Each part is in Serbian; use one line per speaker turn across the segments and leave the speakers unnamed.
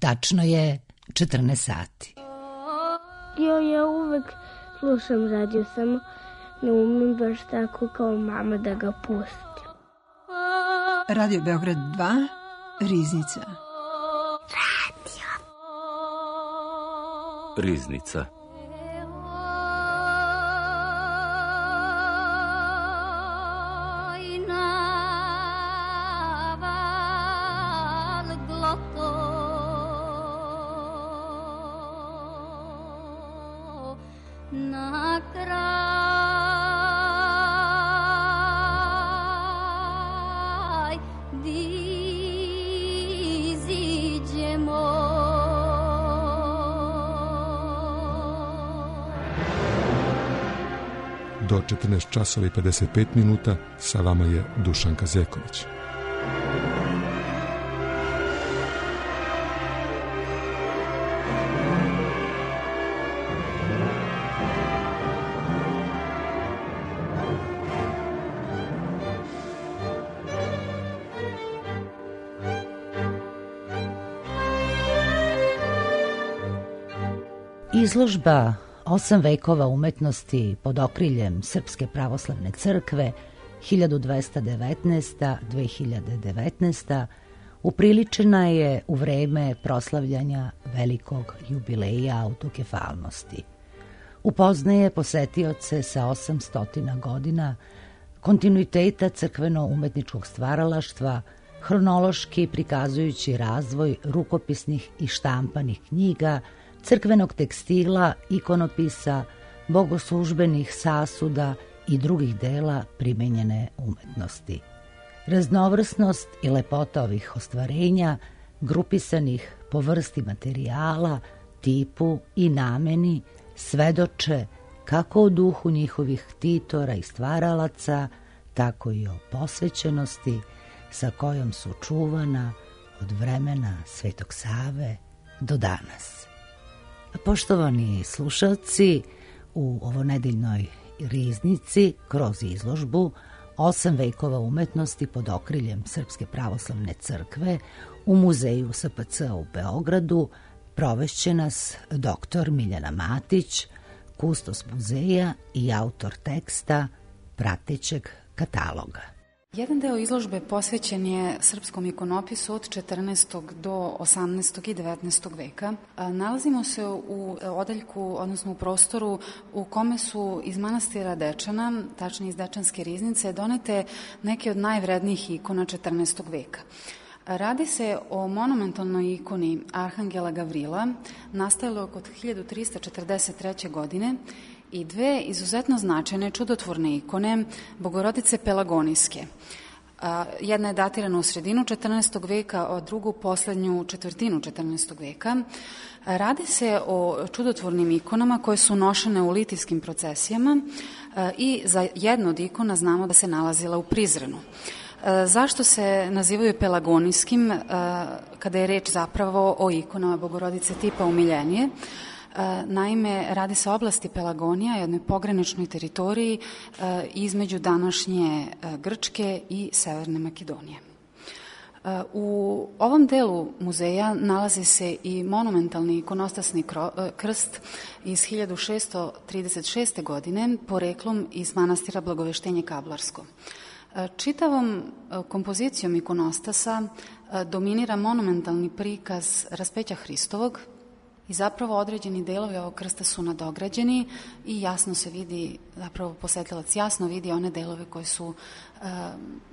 Tačno je 14 sati.
Ja uvek slušam radio, samo ne umem baš tako kao mama da ga pustim.
Radio Beograd 2, Riznica.
Riznica.
Do 14 časova i 55 minuta sa vama je Dušanka Zeković.
Izložba 8 vekova umetnosti pod okriljem Srpske pravoslavne crkve 1219-2019 upriličena je u vreme proslavljanja velikog jubileja autokefalnosti. Upoznaje posetioce sa 800 godina kontinuiteta crkveno-umetničkog stvaralaštva, hronološki prikazujući razvoj rukopisnih i štampanih knjiga, crkvenog tekstila, ikonopisa, bogoslužbenih sasuda i drugih dela primenjene umetnosti. Raznovrsnost i lepota ovih ostvarenja, grupisanih po vrsti materijala, tipu i nameni, svedoče kako o duhu njihovih ktitora i stvaralaca, tako i o posvećenosti sa kojom su čuvana od vremena Svetog Save do danas. Poštovani slušalci, u ovonedeljnoj Riznici kroz izložbu 8 vekova umetnosti pod okriljem Srpske pravoslavne crkve u muzeju SPC u Beogradu provešće nas dr. Miljana Matić, kustos muzeja i autor teksta pratećeg kataloga.
Jedan deo izložbe posvećen je srpskom ikonopisu od 14. do 18. i 19. veka. Nalazimo se u odeljku, odnosno u prostoru u kome su iz manastira Dečana, tačnije iz Dečanske riznice, donete neke od najvrednijih ikona 14. veka. Radi se o monumentalnoj ikoni Arhangela Gavrila, nastajalo oko 1343. godine, i dve izuzetno značajne čudotvorne ikone Bogorodice Pelagonijske. Jedna je datirana u sredinu 14. veka, a drugu poslednju četvrtinu 14. veka. Radi se o čudotvornim ikonama koje su nošene u litijskim procesijama i za jednu od ikona znamo da se nalazila u Prizrenu. Zašto se nazivaju pelagonijskim kada je reč zapravo o ikonama Bogorodice tipa umiljenije? Naime, radi se o oblasti Pelagonija, jednoj pograničnoj teritoriji između današnje Grčke i Severne Makedonije. U ovom delu muzeja nalazi se i monumentalni ikonostasni krst iz 1636. godine, poreklom iz manastira Blagoveštenje Kablarsko. Čitavom kompozicijom ikonostasa dominira monumentalni prikaz raspeća Hristovog i zapravo određeni delovi ovog krsta su nadograđeni i jasno se vidi, zapravo posetilac jasno vidi one delove koji su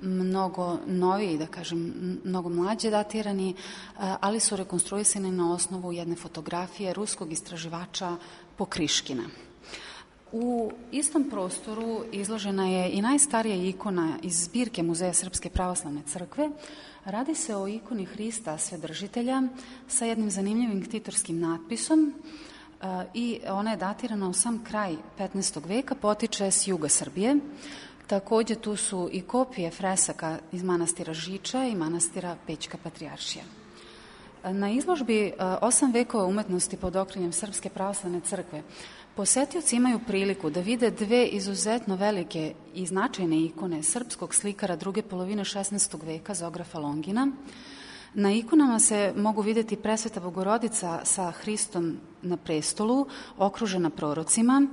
mnogo noviji, da kažem, mnogo mlađe datirani, ali su rekonstruisani na osnovu jedne fotografije ruskog istraživača Pokriškina. U istom prostoru izložena je i najstarija ikona iz zbirke Muzeja Srpske pravoslavne crkve. Radi se o ikoni Hrista Svedržitelja sa jednim zanimljivim ktitorskim natpisom i ona je datirana u sam kraj 15. veka, potiče s juga Srbije. Takođe tu su i kopije fresaka iz manastira Žiča i manastira Pećka Patrijaršija. Na izložbi 8 vekova umetnosti pod okriljem Srpske pravoslavne crkve posetioci imaju priliku da vide dve izuzetno velike i značajne ikone srpskog slikara druge polovine 16. veka Zografa Longina. Na ikonama se mogu vidjeti presveta Bogorodica sa Hristom na prestolu, okružena prorocima,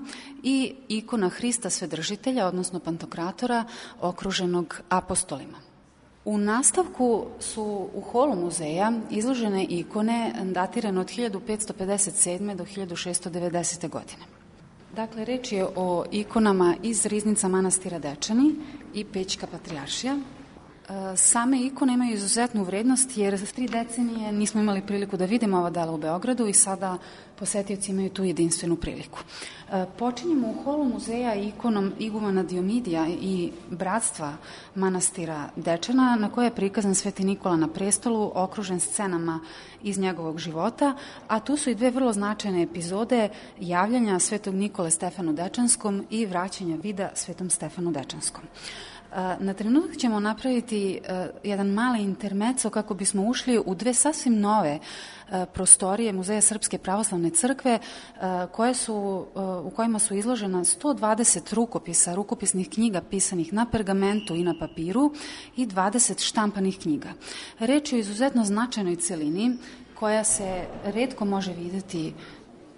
i ikona Hrista Svedržitelja, odnosno Pantokratora, okruženog apostolima. U nastavku su u holu muzeja izložene ikone datirane od 1557. do 1690. godine. Dakle, reč je o ikonama iz riznica manastira Dečani i Pećka patrijaršija. Same ikone imaju izuzetnu vrednost jer 3 decenije nismo imali priliku da vidimo ova dela u Beogradu i sada posetioci imaju tu jedinstvenu priliku. Počinjemo u holu muzeja ikonom igumana Diomidija i bratstva manastira Dečana, na koje je prikazan Sveti Nikola na prestolu, okružen scenama iz njegovog života, a tu su i 2 vrlo značajne epizode javljanja Svetog Nikole Stefanu Dečanskom i vraćanja vida Svetom Stefanu Dečanskom. Na trenutak ćemo napraviti jedan mali intermeco kako bismo ušli u 2 sasvim nove prostorije Muzeja Srpske pravoslavne crkve u kojima su izložena 120 rukopisa, rukopisnih knjiga pisanih na pergamentu i na papiru i 20 štampanih knjiga. Reč je o izuzetno značajnoj celini koja se retko može videti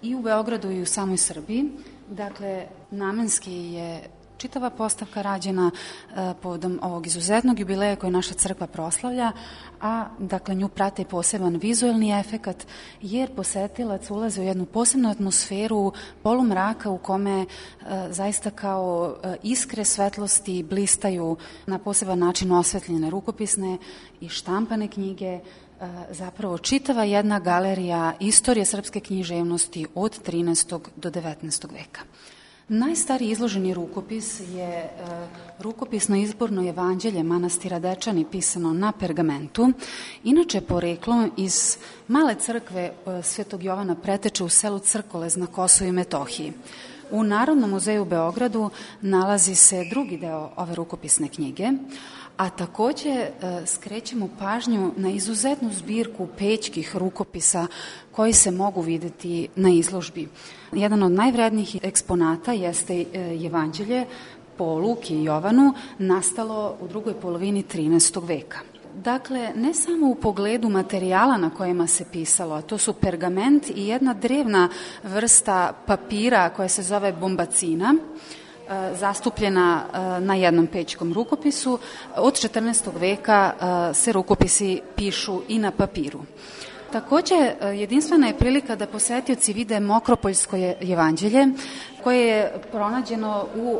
i u Beogradu i u samoj Srbiji. Dakle, namenski je čitava postavka rađena povodom ovog izuzetnog jubileja koje naša crkva proslavlja, a dakle nju prate poseban vizuelni efekat, jer posetilac ulazi u jednu posebnu atmosferu polumraka u kome zaista kao iskre svetlosti blistaju na poseban način osvetljene rukopisne i štampane knjige, zapravo čitava jedna galerija istorije srpske književnosti od 13. do 19. veka. Najstariji izloženi rukopis je rukopisno izborno evanđelje manastira Dečani pisano na pergamentu, inače poreklom iz male crkve Svetog Jovana Preteče u selu Crkolez na Kosovu i Metohiji. U Narodnom muzeju u Beogradu nalazi se drugi deo ove rukopisne knjige, a takođe skrećemo pažnju na izuzetnu zbirku pećkih rukopisa koji se mogu videti na izložbi. Jedan od najvrednijih eksponata jeste evanđelje po Luki i Jovanu, nastalo u drugoj polovini 13. veka. Dakle, ne samo u pogledu materijala na kojima se pisalo, a to su pergament i jedna drevna vrsta papira koja se zove bombacina, zastupljena na jednom pećkom rukopisu. Od 14. veka se rukopisi pišu i na papiru. Takođe, jedinstvena je prilika da posetioci vide Mokropoljsko evanđelje, koje je pronađeno u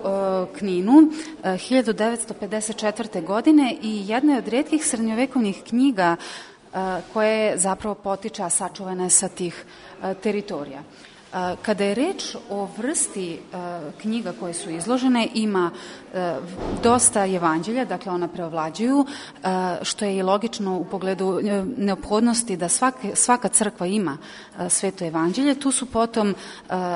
Kninu 1954. godine i jedna je od retkih srednjovekovnih knjiga koje zapravo potiče, a sačuvana je sa tih teritorija. Kada je reč o vrsti knjiga koje su izložene, ima dosta evanđelja, dakle ona preovlađuju, što je i logično u pogledu neophodnosti da svaka crkva ima sveto evanđelje. Tu su potom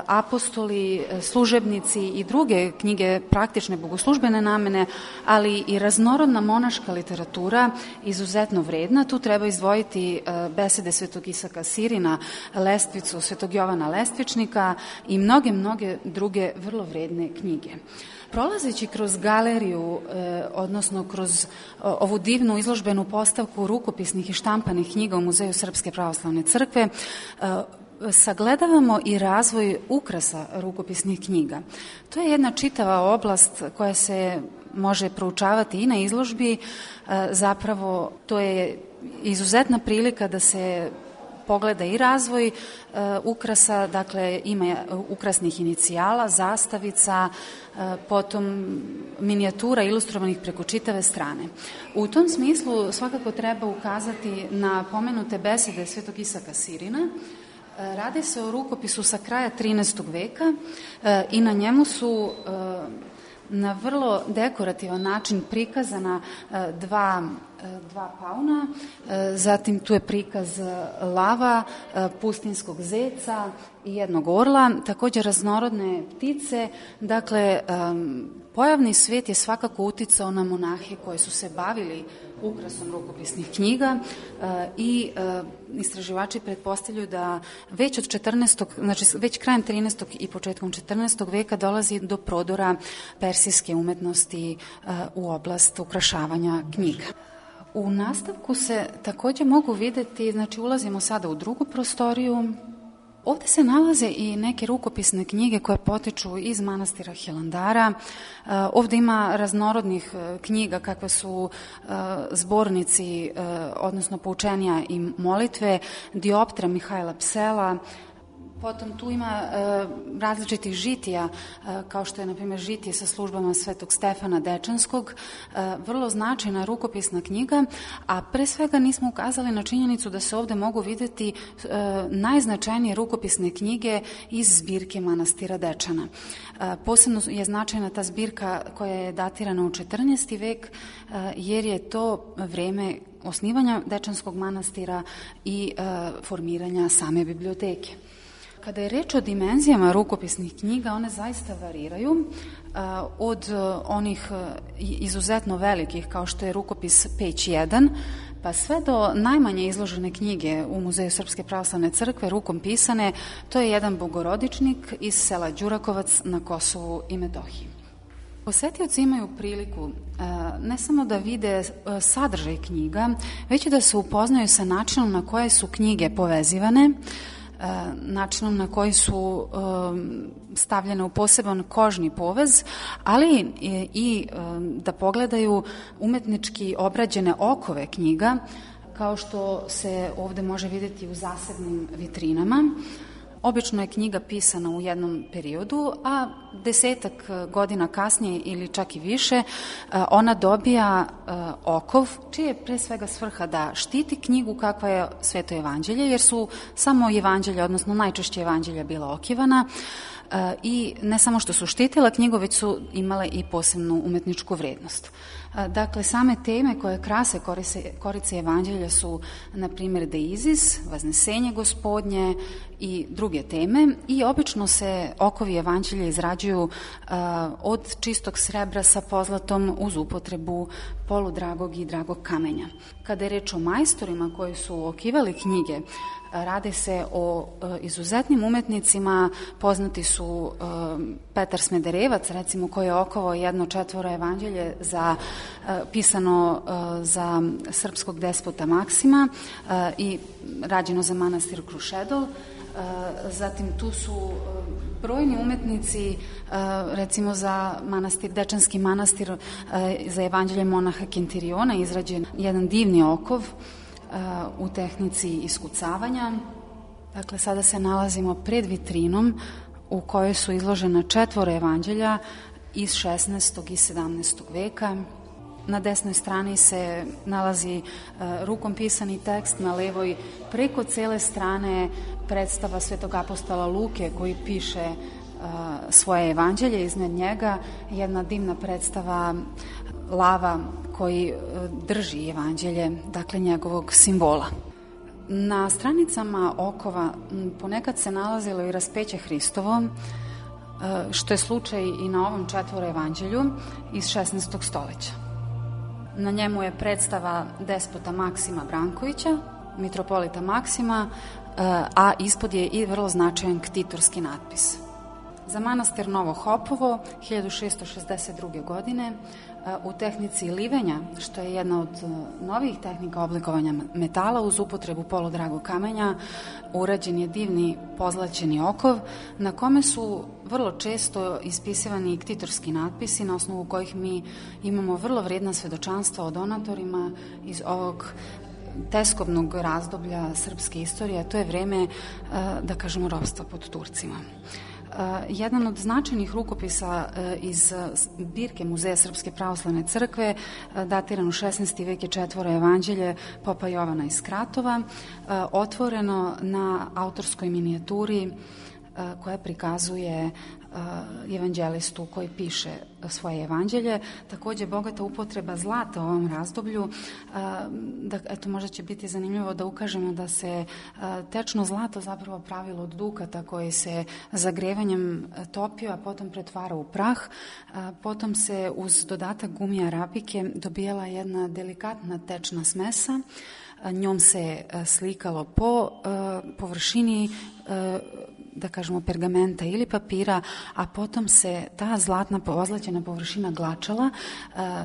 apostoli, služebnici i druge knjige praktične bogoslužbene namene, ali i raznorodna monaška literatura izuzetno vredna. Tu treba izdvojiti besede Svetog Isaka Sirina, Lestvicu Svetog Jovana Lestvičnika i mnoge druge vrlo vredne knjige. Prolazeći kroz galeriju, odnosno kroz ovu divnu izložbenu postavku rukopisnih i štampanih knjiga u Muzeju Srpske pravoslavne crkve, sagledavamo i razvoj ukrasa rukopisnih knjiga. To je jedna čitava oblast koja se može proučavati i na izložbi. Zapravo, to je izuzetna prilika da se pogleda i razvoj ukrasa, dakle ima ukrasnih inicijala, zastavica, potom minijatura ilustrovanih preko čitave strane. U tom smislu svakako treba ukazati na pomenute besede Svetog Isaka Sirina. Radi se o rukopisu sa kraja 13. veka i na njemu su na vrlo dekorativan način prikazana dva pauna, zatim tu je prikaz lava, pustinskog zeca i jednog orla, takođe raznorodne ptice. Dakle, pojavni svet je svakako uticao na monahe koji su se bavili ukrasom rukopisnih knjiga i istraživači pretpostavljaju da već od 14. znači već krajem 13. i početkom 14. veka dolazi do prodora persijske umetnosti u oblast ukrašavanja knjiga. U nastavku se takođe mogu videti, znači ulazimo sada u drugu prostoriju. Ovde se nalaze i neke rukopisne knjige koje potiču iz manastira Hilandara. Ovde ima raznorodnih knjiga kakve su zbornici, odnosno poučenja i molitve, dioptra Mihajla Psela. Potom tu ima različitih žitija, kao što je, na primjer, žitije sa službama Svetog Stefana Dečanskog, vrlo značajna rukopisna knjiga, a pre svega nismo ukazali na činjenicu da se ovde mogu videti najznačajnije rukopisne knjige iz zbirke manastira Dečana. Posebno je značajna ta zbirka koja je datirana u 14. vek, jer je to vreme osnivanja Dečanskog manastira i formiranja same biblioteke. Kada je reč o dimenzijama rukopisnih knjiga, one zaista variraju od onih izuzetno velikih, kao što je rukopis Peć 1, pa sve do najmanje izložene knjige u Muzeju Srpske pravoslavne crkve, rukom pisane, to je jedan bogorodičnik iz sela Đurakovac na Kosovu i Metohiji. Posetioci imaju priliku ne samo da vide sadržaj knjiga, već i da se upoznaju sa načinom na koje su knjige povezivane, načinom na koji su stavljene u poseban kožni povez, ali i da pogledaju umetnički obrađene okove knjiga, kao što se ovde može videti u zasebnim vitrinama. Obično je knjiga pisana u jednom periodu, a 10 godina kasnije ili čak i više ona dobija okov, čije je pre svega svrha da štiti knjigu kakva je Sveto evanđelje, jer su samo evanđelja, odnosno najčešće evanđelja bila okivana, i ne samo što su štitila knjigu, već su imale i posebnu umetničku vrednost. Dakle, same teme koje krase korice evanđelja su, na primjer, Deizis, Vaznesenje gospodnje i druge teme, i obično se okovi evanđelja izrađuju od čistog srebra sa pozlatom uz upotrebu poludragog i dragog kamenja. Kada je reč o majstorima koji su okivali knjige, rade se o izuzetnim umetnicima, poznati su Petar Smederevac, recimo, koji je okovao jedno 4 evanđelje pisano za srpskog despota Maksima i rađeno za manastir Krušedol. Zatim tu su brojni umetnici, recimo za Dečanski manastir, za evanđelje monaha Kentiriona izrađen jedan divni okov u tehnici iskucavanja. Dakle, sada se nalazimo pred vitrinom u kojoj su izložena 4 evanđelja iz 16. i 17. veka. Na desnoj strani se nalazi rukom pisani tekst, na levoj preko cele strane predstava Svetog apostola Luke koji piše svoje evanđelje, iznad njega jedna divna predstava lava koji drži evanđelje, dakle njegovog simbola. Na stranicama okova ponekad se nalazilo i raspeće Hristovo, što je slučaj i na ovom 4 evanđelju iz 16. stoleća. Na njemu je predstava despota Maksima Brankovića, mitropolita Maksima, a ispod je i vrlo značajan ktitorski natpis. Za manastir Novo Hopovo 1662. godine u tehnici livenja, što je jedna od novih tehnika oblikovanja metala uz upotrebu poludragog kamenja, urađen je divni pozlaćeni okov na kome su vrlo često ispisivani ktitorski natpisi na osnovu kojih mi imamo vrlo vrijedna svedočanstva o donatorima iz ovog teskobnog razdoblja srpske istorije, a to je vreme, da kažemo, ropstva pod Turcima. Jedan od značajnih rukopisa iz zbirke Muzeja Srpske pravoslavne crkve, datiran u 16. vek, je 4 evanđelje Popa Jovana iz Kratova, otvoreno na autorskoj minijaturi koja prikazuje evanđelistu koji piše svoje evanđelje. Takođe, bogata upotreba zlata u ovom razdoblju, eto, možda će biti zanimljivo da ukažemo da se tečno zlato zapravo pravilo od dukata koji se zagrevanjem topio, a potom pretvara u prah. Potom se uz dodatak gumija arabike dobijala jedna delikatna tečna smesa, njom se slikalo po površini da kažemo, pergamenta ili papira, a potom se ta zlatna ozlaćena površina glačala.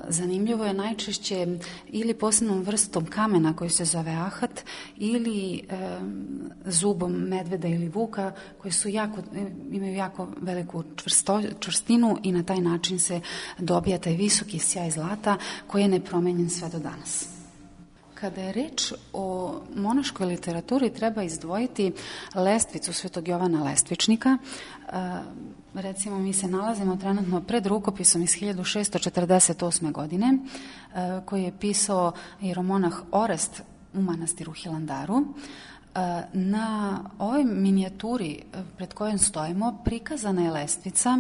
Zanimljivo je najčešće ili posebnom vrstom kamena koji se zove ahat ili zubom medveda ili vuka koji su imaju jako veliku čvrstinu i na taj način se dobija taj visoki sjaj zlata koji je nepromenjen sve do danas. Kada je reč o monaškoj literaturi, treba izdvojiti lestvicu Svetog Jovana Lestvičnika. Recimo, mi se nalazimo trenutno pred rukopisom iz 1648. godine koji je pisao jeromonah Orest u manastiru Hilandaru. Na ovoj minijaturi pred kojom stojimo prikazana je lestvica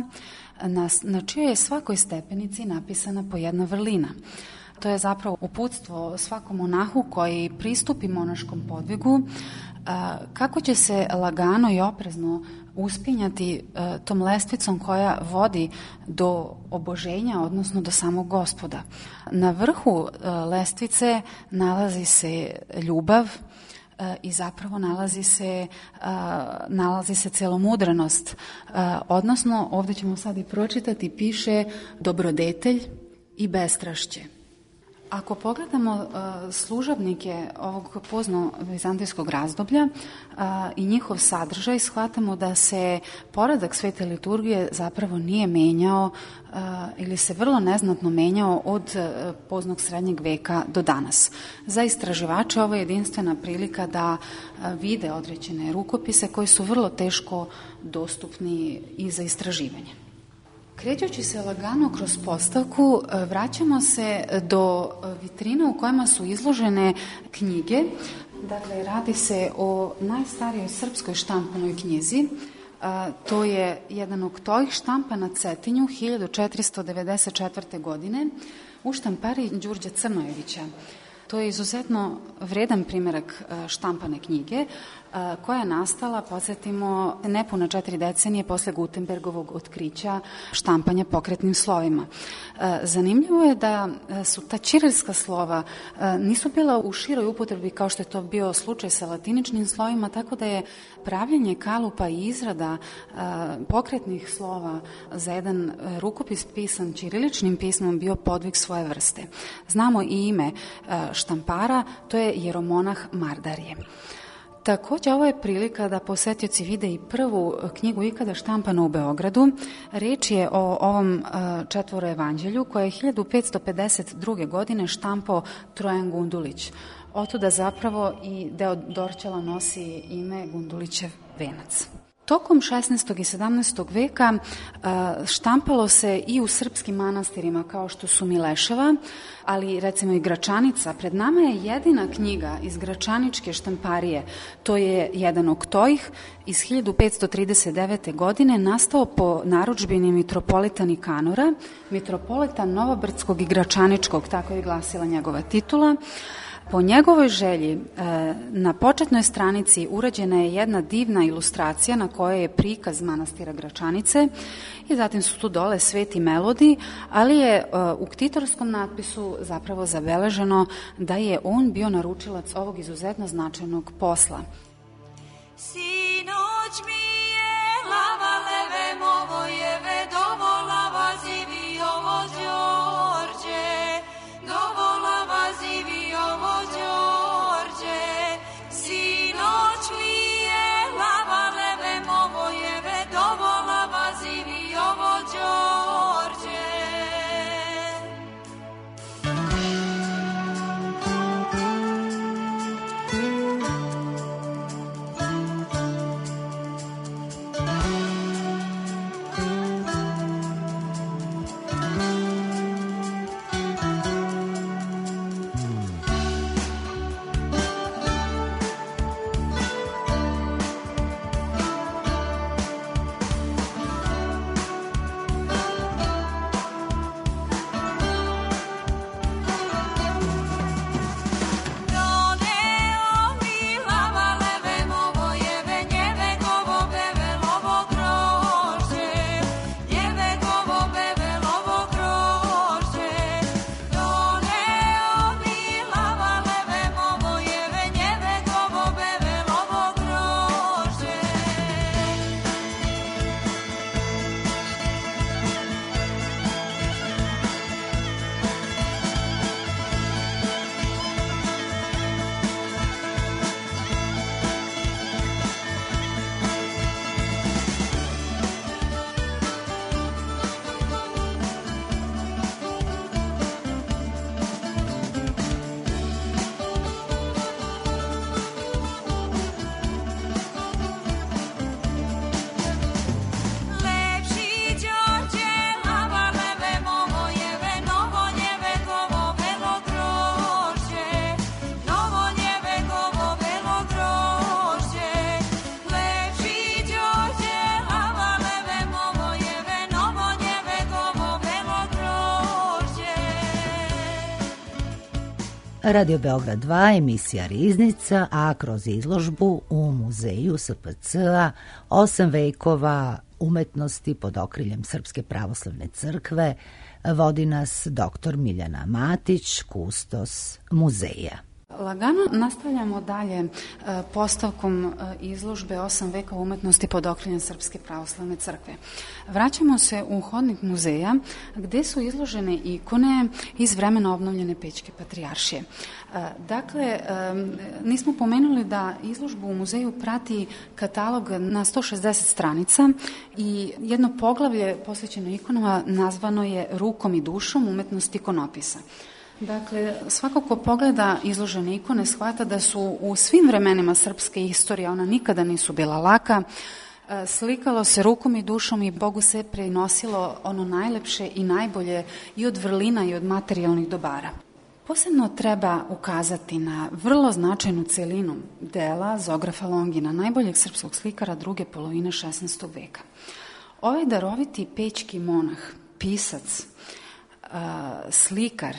na čijoj je svakoj stepenici napisana po jedna vrlina. To je zapravo uputstvo svakom monahu koji pristupi monaškom podvigu kako će se lagano i oprezno uspinjati tom lestvicom koja vodi do oboženja, odnosno do samog Gospoda. Na vrhu lestvice nalazi se ljubav i zapravo nalazi se celomudrenost, odnosno ovdje ćemo sad i pročitati, piše dobrodetelj i bestrašće. Ako pogledamo služabnike ovog pozno-vizantijskog razdoblja i njihov sadržaj, shvatamo da se poredak svete liturgije zapravo nije menjao ili se vrlo neznatno menjao od poznog srednjeg veka do danas. Za istraživače ovo je jedinstvena prilika da vide određene rukopise koji su vrlo teško dostupni i za istraživanje. Krećući se lagano kroz postavku, vraćamo se do vitrina u kojima su izložene knjige. Dakle, radi se o najstarijoj srpskoj štampanoj knjizi. To je jedan oktojih štampa na Cetinju 1494. godine u štampariji Đurđa Crnojevića. To je izuzetno vredan primjerak štampane knjige koja je nastala, podsjetimo, nepuna 4 decenije posle Gutenbergovog otkrića štampanja pokretnim slovima. Zanimljivo je da su ta ćirilska slova nisu bila u široj upotrebi kao što je to bio slučaj sa latiničnim slovima, tako da je pravljenje kalupa i izrada pokretnih slova za jedan rukopis pisan ćiriličnim pismom bio podvig svoje vrste. Znamo i ime štampara, to je jeromonah Mardarije. Također, ovo je prilika da posetioci vide i prvu knjigu ikada štampanu u Beogradu. Riječ je o ovom četvoro evanđelju koje je 1552. godine štampao Trojan Gundulić. Otuda zapravo i deo dorćela nosi ime Gundulićev venac. Tokom 16. i 17. veka štampalo se i u srpskim manastirima kao što su Mileševa, ali recimo i Gračanica. Pred nama je jedina knjiga iz Gračaničke štamparije, to je jedan oktojih iz 1539. godine, nastao po narudžbini mitropolita Nikanora, mitropolita Novobrdskog i Gračaničkog, tako je glasila njegova titula. Po njegovoj želji na početnoj stranici urađena je jedna divna ilustracija na kojoj je prikaz manastira Gračanice i zatim su tu dole sveti melodi, ali je u ktitorskom natpisu zapravo zabeleženo da je on bio naručilac ovog izuzetno značajnog posla.
Sinoć mi je lava leve movojeve dovolava zivi ovo Đorđe, dovolava zivi ovo Đorđe. Sinoć mi je lava leve movojeve dovolava zivi ovo Đorđe.
Radio Beograd 2, emisija Riznica, a kroz izložbu u muzeju SPC-a 8 vekova umetnosti pod okriljem Srpske pravoslavne crkve vodi nas dr. Miljana Matić, kustos muzeja.
Lagano nastavljamo dalje postavkom izložbe 8 veka umetnosti pod okriljem Srpske pravoslavne crkve. Vraćamo se u hodnik muzeja gde su izložene ikone iz vremena obnovljene Pećke patrijaršije. Dakle, nismo pomenuli da izložbu u muzeju prati katalog na 160 stranica i jedno poglavlje posvećeno ikonama nazvano je Rukom i dušom umetnost ikonopisa. Dakle, svako ko pogleda izložene ikone shvata da su u svim vremenima srpske istorije, ona nikada nisu bila laka, slikalo se rukom i dušom i Bogu se prenosilo ono najlepše i najbolje i od vrlina i od materijalnih dobara. Posebno treba ukazati na vrlo značajnu celinu dela Zografa Longina, najboljeg srpskog slikara druge polovine 16. veka. Ovaj daroviti pećki monah, pisac, slikar,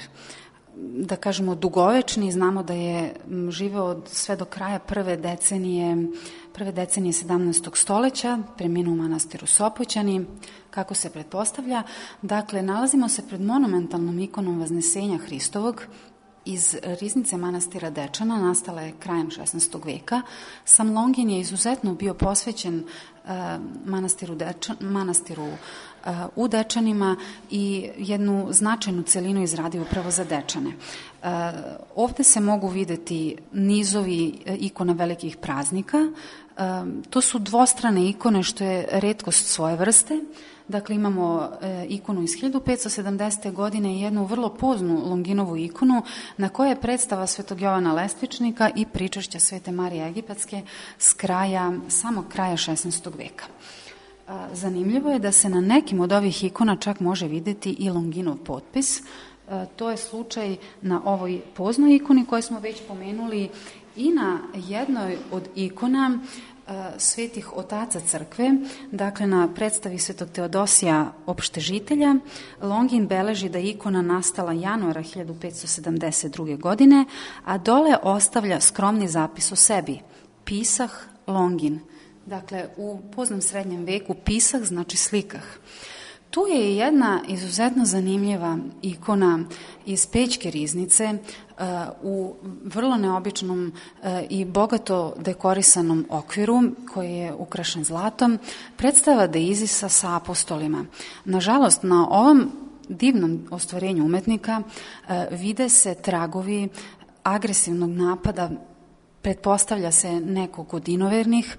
da kažemo dugovečni, znamo da je živeo sve do kraja prve decenije 17. stoleća, preminuo u manastiru Sopoćani, kako se pretpostavlja. Dakle, nalazimo se pred monumentalnom ikonom Vaznesenja Hristovog iz riznice manastira Dečana, nastala je krajem 16. veka. Sam Longin je izuzetno bio posvećen manastiru u Dečanima i jednu značajnu celinu izradio upravo za Dečane. Ovde se mogu videti nizovi ikona velikih praznika. To su dvostrane ikone, što je retkost svoje vrste. Dakle, imamo ikonu iz 1570. godine i jednu vrlo poznu Longinovu ikonu na kojoj je predstava Svetog Jovana Lestvičnika i pričašća Svete Marije Egipatske s samog kraja 16. veka. Zanimljivo je da se na nekim od ovih ikona čak može videti i Longinov potpis. To je slučaj na ovoj poznoj ikoni koju smo već pomenuli i na jednoj od ikona svetih otaca crkve, dakle na predstavi Svetog Teodosija opštežitelja. Longin beleži da je ikona nastala januara 1572. godine, a dole ostavlja skromni zapis o sebi. Pisah Longin. Dakle, u poznom srednjem veku pisah znači slikah. Tu je jedna izuzetno zanimljiva ikona iz Pećke riznice u vrlo neobičnom i bogato dekorisanom okviru koji je ukrašen zlatom, predstava Deizisa sa apostolima. Nažalost, na ovom divnom ostvarenju umetnika vide se tragovi agresivnog napada, pretpostavlja se nekog od inovernih.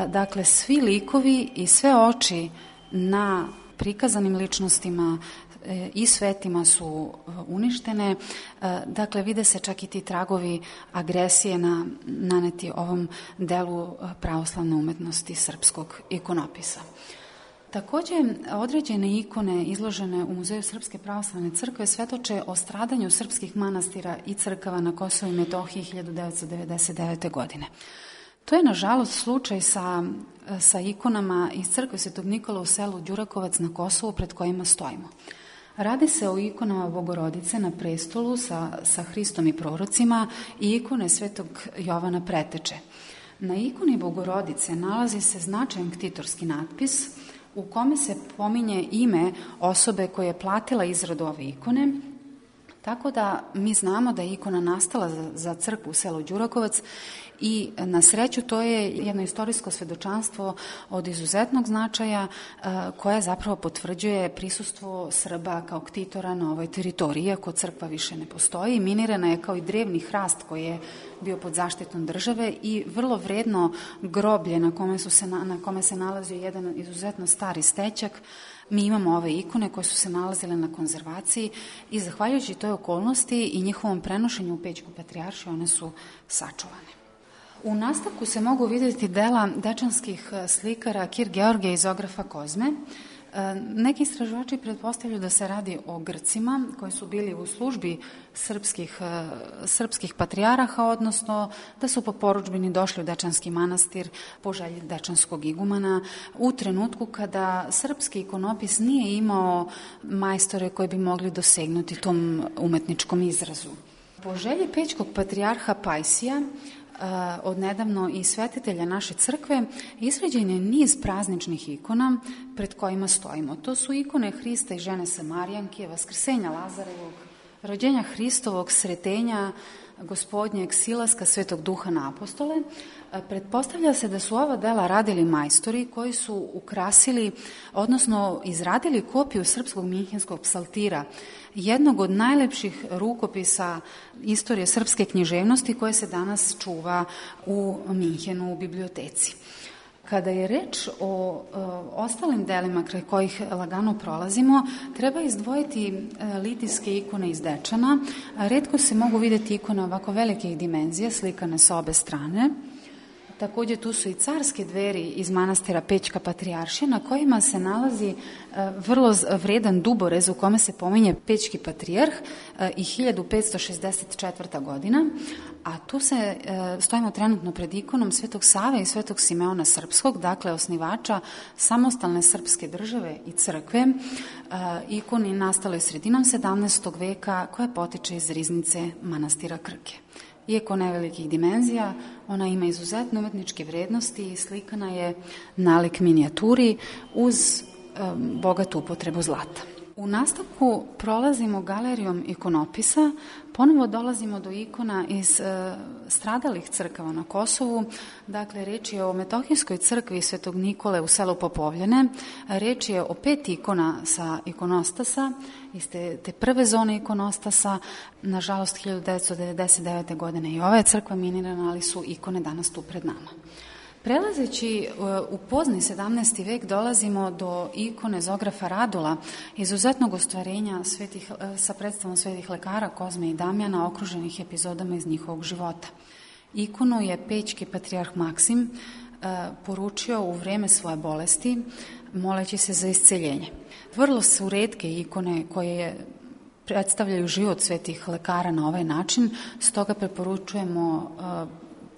Dakle, svi likovi i sve oči na prikazanim ličnostima i svetima su uništene. Dakle, vide se čak i ti tragovi agresije naneti ovom delu pravoslavne umetnosti srpskog ikonopisa. Takođe, određene ikone izložene u Muzeju Srpske pravoslavne crkve svedoče o stradanju srpskih manastira i crkava na Kosovu i Metohiji 1999. godine. To je, nažalost, slučaj sa ikonama iz crkve Svetog Nikola u selu Đurakovac na Kosovu pred kojima stojimo. Radi se o ikonama Bogorodice na prestolu sa Hristom i prorocima i ikone Svetog Jovana Preteče. Na ikoni Bogorodice nalazi se značajan ktitorski natpis u kome se pominje ime osobe koja je platila izradu ove ikone, tako da mi znamo da je ikona nastala za crkvu u selu Đurakovac i na sreću to je jedno istorijsko svedočanstvo od izuzetnog značaja koje zapravo potvrđuje prisustvo Srba kao ktitora na ovoj teritoriji, iako crkva više ne postoji. Minirana je kao i drevni hrast koji je bio pod zaštitom države i vrlo vredno groblje na kome se nalazio jedan izuzetno stari stećak. Mi imamo ove ikone koje su se nalazile na konzervaciji i zahvaljujući toj okolnosti i njihovom prenošenju u Pećku patrijaršiju one su sačuvane. U nastavku se mogu vidjeti dela dečanskih slikara Kir Georgija i Zografa Kozme. Neki istraživači pretpostavljaju da se radi o Grcima koji su bili u službi srpskih patrijaraha, odnosno da su po porudžbini došli u Dečanski manastir po želji dečanskog igumana u trenutku kada srpski ikonopis nije imao majstore koji bi mogli dosegnuti tom umetničkom izrazu. Po želji Pećkog patrijarha Pajsija, odnedavno i svetitelja naše crkve, izrađen je niz prazničnih ikona pred kojima stojimo. To su ikone Hrista i žene Samarijanke, Vaskrsenja Lazarevog, rođenja Hristovog, sretenja Gospodnjeg, silaska Svetog Duha na apostole. Pretpostavlja se da su ova dela radili majstori koji su ukrasili, odnosno izradili kopiju srpskog minhenskog psaltira, jednog od najlepših rukopisa istorije srpske književnosti koje se danas čuva u Minhenu u biblioteci. Kada je reč o ostalim delima kraj kojih lagano prolazimo, treba izdvojiti litijske ikone iz Dečana. Retko se mogu vidjeti ikone ovako velikih dimenzija, slikane sa obe strane. Također tu su i carske dveri iz manastira Pećka patrijaršija na kojima se nalazi vrlo vredan duborez u kome se pominje Pećki patrijarh i 1564. godina, a tu stojimo trenutno pred ikonom Svetog Save i Svetog Simeona Srpskog, dakle osnivača samostalne srpske države i crkve, ikoni nastale sredinom 17. veka koja potiče iz riznice manastira Krke. Iako nevelikih dimenzija, ona ima izuzetne umetničke vrednosti i slikana je nalik minijaturi uz bogatu upotrebu zlata. U nastavku prolazimo galerijom ikonopisa, ponovo dolazimo do ikona iz stradalih crkava na Kosovu. Dakle, reč je o Metohijskoj crkvi Svetog Nikole u selu Popovljene. Reč je o 5 ikona sa ikonostasa, iz te prve zone ikonostasa. Nažalost, 1999. godine i ova je crkva minirana, ali su ikone danas tu pred nama. Prelazeći u pozni 17. vek dolazimo do ikone Zografa Radula, izuzetnog ostvarenja sa predstavom svetih lekara Kozme i Damjana, okruženih epizodama iz njihovog života. Ikonu je Pećki patrijarh Maksim poručio u vreme svoje bolesti, moleći se za isceljenje. Vrlo su retke ikone koje predstavljaju život svetih lekara na ovaj način, stoga preporučujemo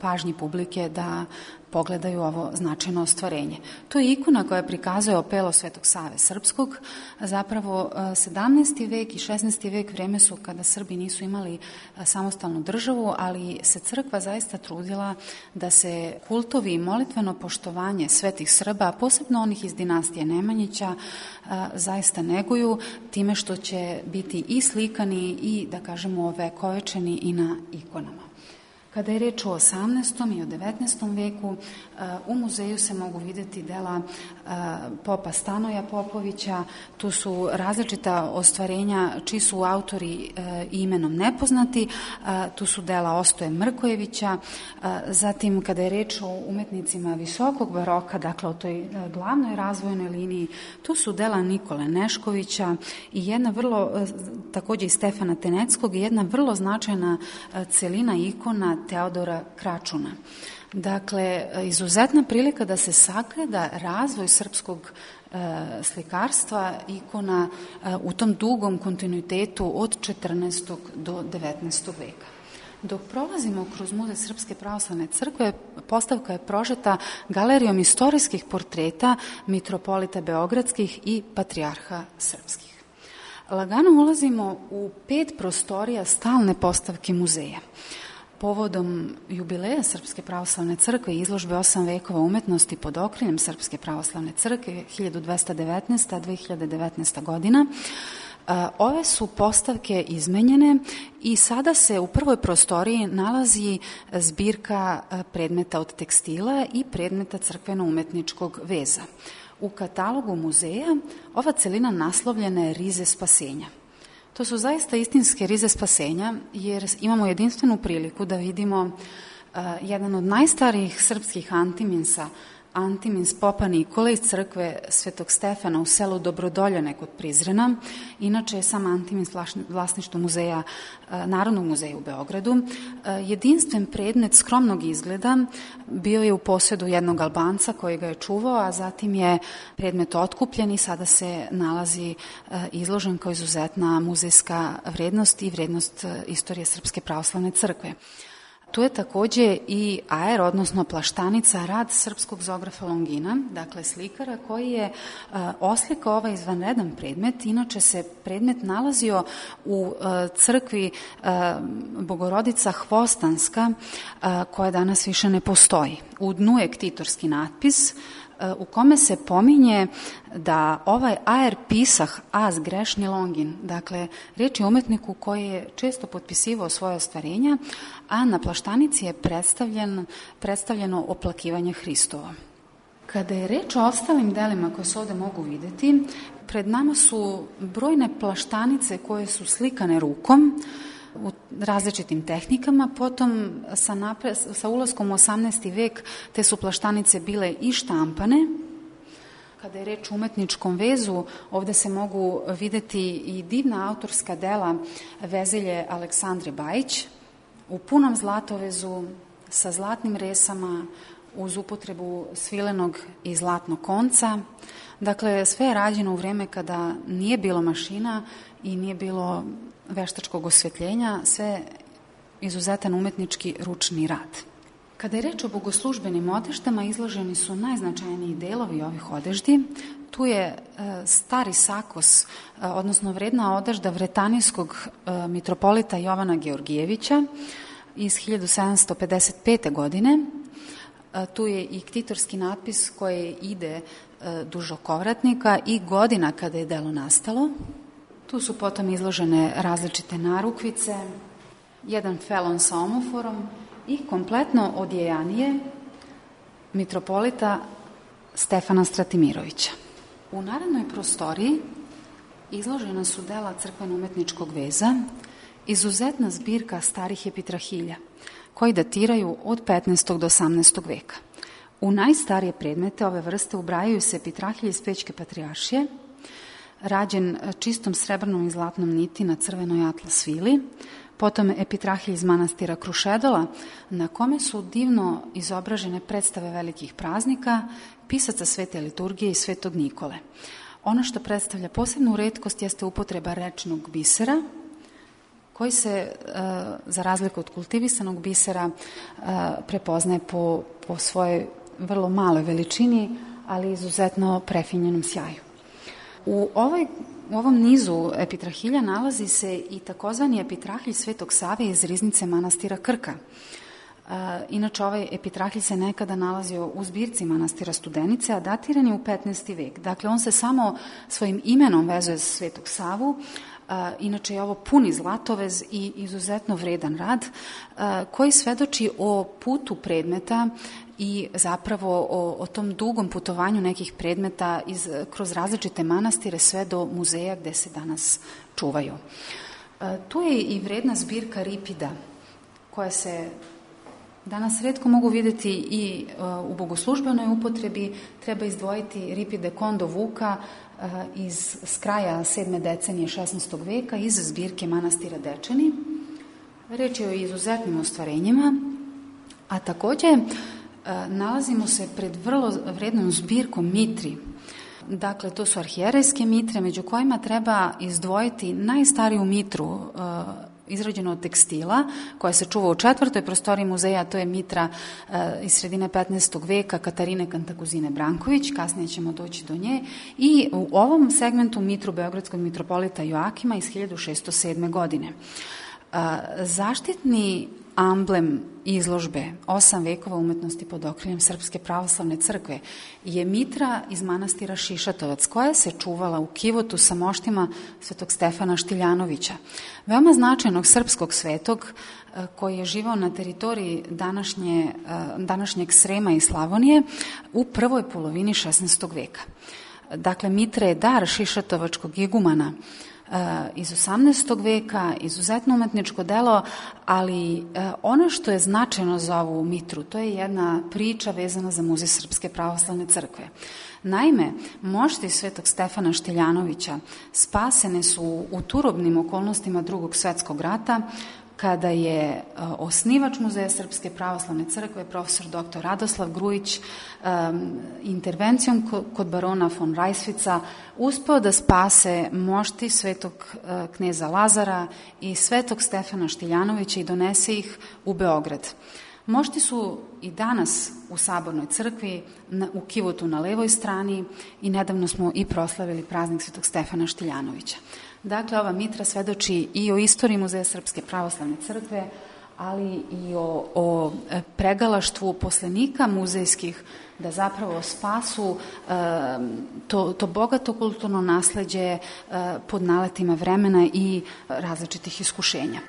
pažnji publike da pogledaju ovo značajno ostvarenje. To je ikona koja prikazuje opelo Svetog Save Srpskog. Zapravo 17. vek i 16. vek vreme su kada Srbi nisu imali samostalnu državu, ali se crkva zaista trudila da se kultovi i molitveno poštovanje svetih Srba, posebno onih iz dinastije Nemanjića, zaista neguju time što će biti i slikani i, da kažemo, ovekovečeni i na ikonama. Kada je reč o 18. i o 19. veku, u muzeju se mogu vidjeti dela popa Stanoja Popovića. Tu su različita ostvarenja čiji su autori imenom nepoznati. Tu su dela Ostoje Mrkojevića. Zatim, kada je reč o umetnicima visokog baroka, dakle o toj glavnoj razvojnoj liniji, tu su dela Nikole Neškovića i jedna također i Stefana Teneckog, i jedna vrlo značajna celina ikona Teodora Kračuna. Dakle, izuzetna prilika da se sagleda razvoj srpskog slikarstva, ikona u tom dugom kontinuitetu od 14. do 19. veka. Dok prolazimo kroz Muzej Srpske pravoslavne crkve, postavka je prožeta galerijom istorijskih portreta mitropolita beogradskih i patrijarha srpskih. Lagano ulazimo u 5 prostorija stalne postavke muzeja. Povodom jubileja Srpske pravoslavne crkve i izložbe 8 vekova umetnosti pod okriljem Srpske pravoslavne crkve 1219. godina, ove su postavke izmenjene i sada se u prvoj prostoriji nalazi zbirka predmeta od tekstila i predmeta crkveno-umetničkog veza. U katalogu muzeja ova celina naslovljena je Rize spasenja. To su zaista istinske rize spasenja, jer imamo jedinstvenu priliku da vidimo jedan od najstarijih srpskih antiminsa, antimins popa Nikole iz crkve Svetog Stefana u selu Dobrodoljane kod Prizrena. Inače je sam antimins vlasništvo muzeja, Narodnog muzeja u Beogradu. Jedinstven predmet skromnog izgleda bio je u posjedu jednog Albanca koji ga je čuvao, a zatim je predmet otkupljen i sada se nalazi izložen kao izuzetna muzejska vrednost i vrednost istorije Srpske pravoslavne crkve. Tu je takođe i aer, odnosno plaštanica, rad srpskog zografa Longina, dakle slikara koji je oslikao ovaj izvanredan predmet. Inače se predmet nalazio u crkvi Bogorodica Hvostanska, koja danas više ne postoji. U dnu je ktitorski natpis u kome se pominje da ovaj aer pisah az grešni Longin, dakle riječ je umetniku koji je često potpisivao svoje ostvarenja, a na plaštanici je predstavljeno oplakivanje Hristovo. Kada je reč o ostalim delima koje se ovde mogu videti, pred nama su brojne plaštanice koje su slikane rukom u različitim tehnikama. Potom sa ulaskom u 18. vek te su plaštanice bile i štampane. Kada je reč o umetničkom vezu, ovde se mogu videti i divna autorska dela Vezelje Aleksandre Bajić u punom zlatovezu sa zlatnim resama uz upotrebu svilenog i zlatnog konca. Dakle, sve je rađeno u vreme kada nije bilo mašina i nije bilo veštačkog osvetljenja, sve izuzetan umetnički ručni rad. Kada je reč o bogoslužbenim odeždama, izloženi su najznačajniji delovi ovih odeždi. Tu je stari sakos, odnosno vredna odežda vretanijskog mitropolita Jovana Georgijevića iz 1755. godine. Tu je i ktitorski natpis koji ide duž okovratnika i godina kada je delo nastalo. Tu su potom izložene različite narukvice, jedan felon sa omoforom i kompletno odjejanije mitropolita Stefana Stratimirovića. U narednoj prostoriji izložena su dela crkveno-umetničkog veza, izuzetna zbirka starih epitrahilja, koji datiraju od 15. do 18. veka. U najstarije predmete ove vrste ubrajaju se epitrahilje iz Pećke patrijaršije, rađen čistom srebrnom i zlatnom niti na crvenoj atlas vili, potom epitrahilj iz manastira Krušedola, na kome su divno izobražene predstave velikih praznika, pisaca Svete liturgije i Svetog Nikole. Ono što predstavlja posebnu retkost jeste upotreba rečnog bisera, koji se, za razliku od kultivisanog bisera, prepoznaje po svojoj vrlo maloj veličini, ali izuzetno prefinjenom sjaju. U ovom nizu epitrahilja nalazi se i takozvani epitrahilj Svetog Save iz riznice manastira Krka. Inače, ovaj epitrahilj se nekada nalazio u zbirci manastira Studenice, a datiran je u 15. vek. Dakle, on se samo svojim imenom vezuje za Svetog Savu. Inače je ovo puni zlatovez i izuzetno vredan rad koji svedoči o putu predmeta i zapravo o tom dugom putovanju nekih predmeta kroz različite manastire sve do muzeja gde se danas čuvaju. Tu je i vredna zbirka ripida koja se danas retko mogu videti i u bogoslužbenoj upotrebi. Treba izdvojiti ripide Kondo Vuka s kraja 7. decenije 16. veka iz zbirke manastira Dečani. Reč je o izuzetnim ostvarenjima, a takođe nalazimo se pred vrlo vrednom zbirkom mitri. Dakle, to su arhijerejske mitre, među kojima treba izdvojiti najstariju mitru izrađeno od tekstila, koja se čuva u 4. prostoriji muzeja, to je mitra iz sredine 15. veka Katarine Kantakuzine Branković, kasnije ćemo doći do nje, i u ovom segmentu mitru beogradskog mitropolita Joakima iz 1607. godine. Zaštitni amblem izložbe 8 vekova umetnosti pod okriljem Srpske pravoslavne crkve je mitra iz manastira Šišatovac, koja se čuvala u kivotu sa moštima svetog Stefana Štiljanovića, veoma značajnog srpskog svetog koji je živao na teritoriji današnjeg Srema i Slavonije u prvoj polovini 16. veka. Dakle, mitra je dar šišatovačkog igumana iz 18. veka, izuzetno umetničko delo, ali ono što je značajno za ovu mitru, to je jedna priča vezana za Muzej Srpske pravoslavne crkve. Naime, mošti svetog Stefana Štiljanovića spasene su u turobnim okolnostima Drugog svetskog rata kada je osnivač Muzeja Srpske pravoslavne crkve, profesor dr. Radoslav Grujić, intervencijom kod barona von Rajsvica uspeo da spase mošti svetog kneza Lazara i svetog Stefana Štiljanovića i donese ih u Beograd. Mošti su i danas u Sabornoj crkvi, u kivotu na levoj strani i nedavno smo i proslavili praznik svetog Stefana Štiljanovića. Dakle, ova mitra svedoči i o istoriji Muzeja Srpske pravoslavne crkve, ali i o pregalaštvu poslenika muzejskih da zapravo spasu to bogato kulturno nasleđe pod naletima vremena i različitih iskušenja.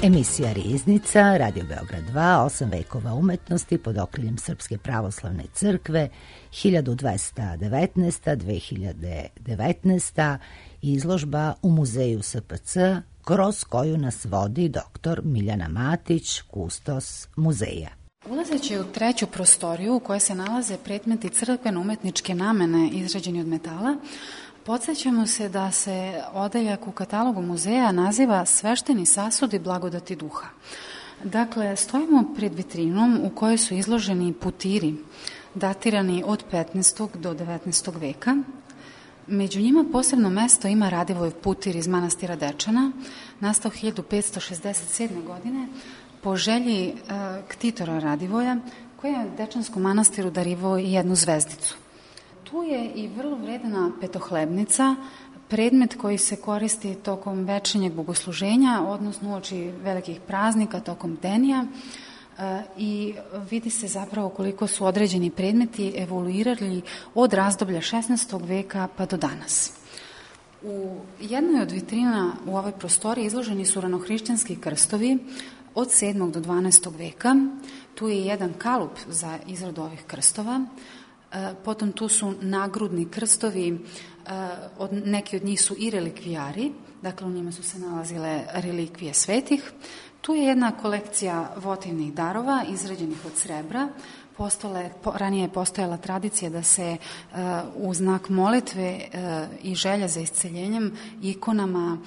Emisija Riznica, Radio Beograd 2, 8 vekova umetnosti pod okriljem Srpske pravoslavne crkve, 1219-2019, izložba u Muzeju SPC, kroz koju nas vodi dr. Miljana Matić, kustos muzeja.
Ulazeći u treću prostoriju u kojoj se nalaze predmeti crkveno-umetničke namene izrađeni od metala, podsjećamo se da se odeljak u katalogu muzeja naziva Svešteni sasudi blagodati duha. Dakle, stojimo pred vitrinom u kojoj su izloženi putiri datirani od 15. do 19. veka. Među njima posebno mesto ima Radivoj putir iz manastira Dečana, nastao 1567. godine po želji ktitora Radivoja, koji je Dečanskom manastiru darivao i jednu zvezdicu. Tu je i vrlo vredna petohlebnica, predmet koji se koristi tokom večernjeg bogosluženja, odnosno uoči velikih praznika, tokom denija, i vidi se zapravo koliko su određeni predmeti evoluirali od razdoblja 16. veka pa do danas. U jednoj od vitrina u ovoj prostoriji izloženi su ranohrišćanski krstovi od 7. do 12. veka. Tu je jedan kalup za izradu ovih krstova. Potom tu su nagrudni krstovi, neki od njih su i relikvijari, dakle u njima su se nalazile relikvije svetih. Tu je jedna kolekcija votivnih darova izrađenih od srebra. Ranije je postojala tradicija da se u znak molitve i želja za isceljenjem ikonama